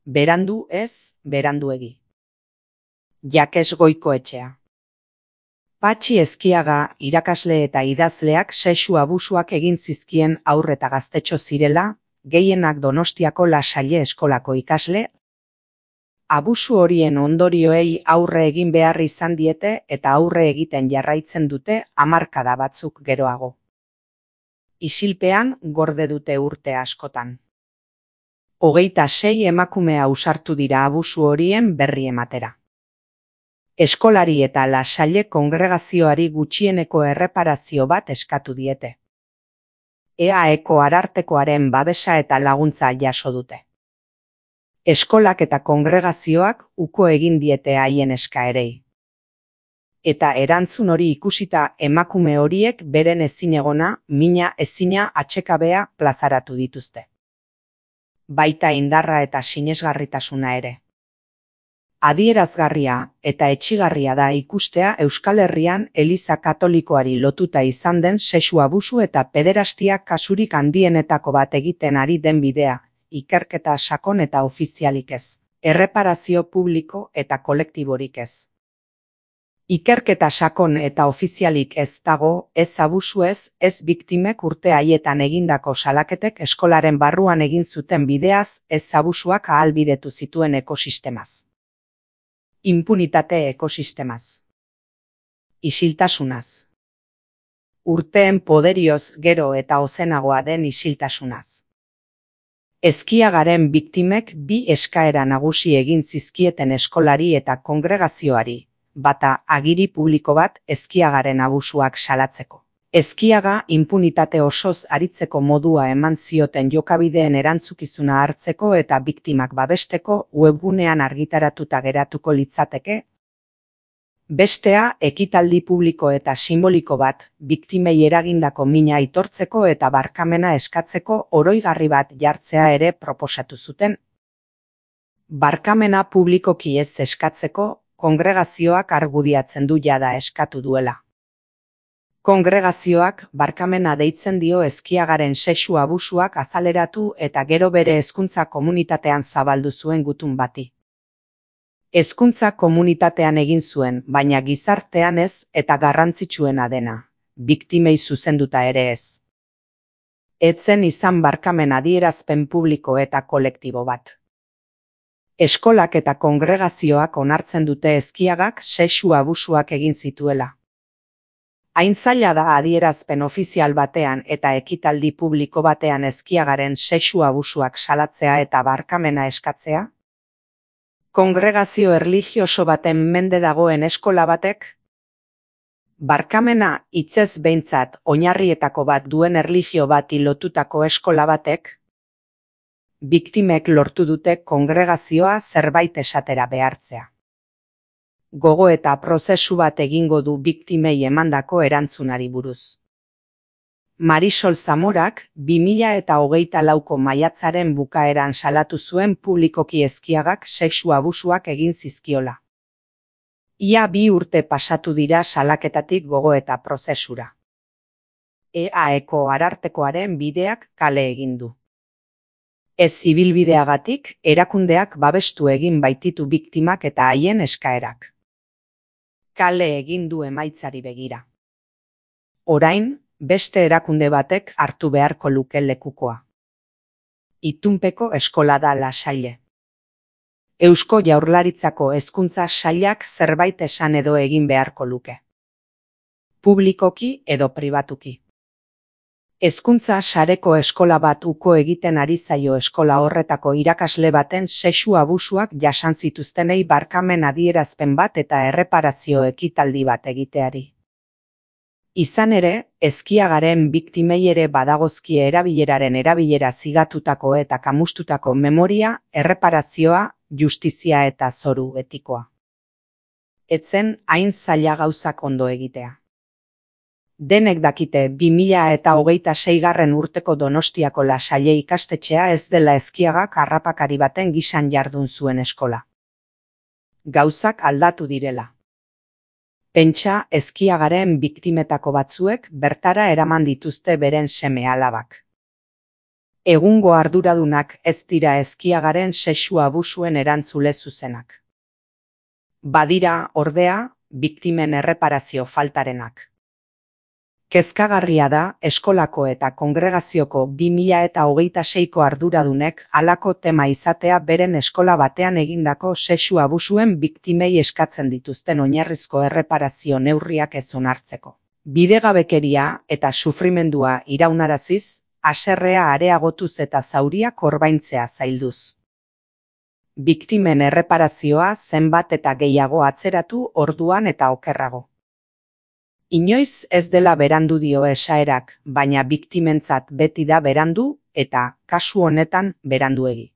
Berandu ez, beranduegi. Jakes Goikoetxea. Patxi Ezkiaga irakasle eta idazleak sexu abusuak egin zizkien haur eta gaztetxo zirela, gehienak Donostiako La Salle eskolako ikasle. Abusu horien ondorioei aurre egin behar izan diete eta aurre egiten jarraitzen dute hamarkada batzuk geroago. Isilpean gorde dute urte askotan. 26 emakume ausartu dira abusu horien berri ematera. Eskolari eta La Salle kongregazioari gutxieneko erreparazio bat eskatu diete. EAEko arartekoaren babesa eta laguntza jaso dute. Eskolak eta kongregazioak uko egin diete haien eskaerei. Eta erantzun hori ikusita emakume horiek beren ezinegona, mina ezina atsekabea plazaratu dituzte. Baita indarra eta sinesgarritasuna ere. Adierazgarria eta etsigarria da ikustea Euskal Herrian Eliza Katolikoari lotuta izan den sexu abusu eta pederastia kasurik handienetako bat egiten ari den bidea, ikerketa sakon eta ofizialik ez, erreparazio publiko eta kolektiborik ez. Ikerketa sakon eta ofizialik ez dago, ez abusu ez biktimek urte haietan egindako salaketek eskolaren barruan egin zuten bideaz, ez abusuak ahalbidetu zituen ekosistemaz. Impunitate ekosistemaz. Isiltasunaz. Urteen poderioz gero eta ozenagoa den isiltasunaz. Ezkiagaren biktimek bi eskaera nagusi egin zizkieten eskolari eta kongregazioari, bata agiri publiko bat Ezkiagaren abusuak salatzeko. Ezkiaga inpunitate osoz aritzeko modua eman zioten jokabideen erantzukizuna hartzeko eta biktimak babesteko webgunean argitaratuta geratuko litzateke. Bestea, ekitaldi publiko eta simboliko bat, biktimei eragindako mina aitortzeko eta barkamena eskatzeko oroigarri bat jartzea ere proposatu zuten. Barkamena publikoki ez eskatzeko, kongregazioak argudiatzen du jada eskatu duela. Kongregazioak barkamena deitzen dio Ezkiagaren sexu abusuak azaleratu eta gero bere hezkuntza komunitatean zabaldu zuen gutun bati. Hezkuntza komunitatean egin zuen, baina gizartean ez eta garrantzitsuena dena, biktimei zuzenduta ere ez. Etzen izan barkamen adierazpen publiko eta kolektibo bat. Eskolak eta kongregazioak onartzen dute Ezkiagak sexu abusuak egin zituela. Hain zaila da adierazpen ofizial batean eta ekitaldi publiko batean Ezkiagaren sexu abusuak salatzea eta barkamena eskatzea? Kongregazio erlijioso baten mende dagoen eskola batek? Barkamena hitzez behintzat oinarrietako bat duen erlijio bati lotutako eskola batek? Biktimek lortu dute kongregazioa zerbait esatera behartzea. Gogo eta prozesu bat egingo du biktimei emandako erantzunari buruz. Marisol Zamorak 2024ko maiatzaren bukaeran salatu zuen publikoki Ezkiagak sexu abusuak egin zizkiola. Ia 2 urte pasatu dira salaketatik gogo eta prozesura. EAEko arartekoaren bideak kale egin du. Ez ibilbideagatik, erakundeak babestu egin baititu biktimak eta haien eskaerak. Kale egin du emaitzari begira. Orain, beste erakunde batek hartu beharko luke lekukoa. Itunpeko eskola da La Salle. Eusko Jaurlaritzako hezkuntza sailak zerbait esan edo egin beharko luke. Publikoki edo pribatuki. Hezkuntza sareko eskola bat uko egiten ari zaio eskola horretako irakasle baten sexu abusuak jasan zituztenei barkamen adierazpen bat eta erreparazio ekitaldi bat egiteari. Izan ere, Ezkiagaren biktimei ere badagozkie erabileraren erabilera zigatutako eta kamustutako memoria, erreparazioa, justizia eta zoru etikoa. Etzen hain zaila gauzak ondo egitea. Denek dakite 2026 urteko Donostiako La Salle ikastetxea ez dela Ezkiagak harrapakari baten gisan jardun zuen eskola. Gauzak aldatu direla. Pentsa Ezkiagaren biktimetako batzuek bertara eraman dituzte beren seme-alabak. Egungo arduradunak ez dira ezkiagaren sexu abusuen erantzule zuzenak. Badira, ordea, biktimen erreparazio faltarenak. Kezkagarria da eskolako eta kongregazioko 2026ko arduradunek halako tema izatea beren eskola batean egindako sexu abusuen biktimei eskatzen dituzten oinarrizko erreparazio neurriak ez onartzeko. Bidegabekeria eta sufrimendua iraunaraziz, haserrea areagotuz eta zauriak orbaintzea zailduz. Biktimen erreparazioa zenbat eta gehiago atzeratu orduan eta okerrago. Inoiz ez dela berandu dio esaerak, baina biktimentzat beti da berandu eta kasu honetan beranduegi.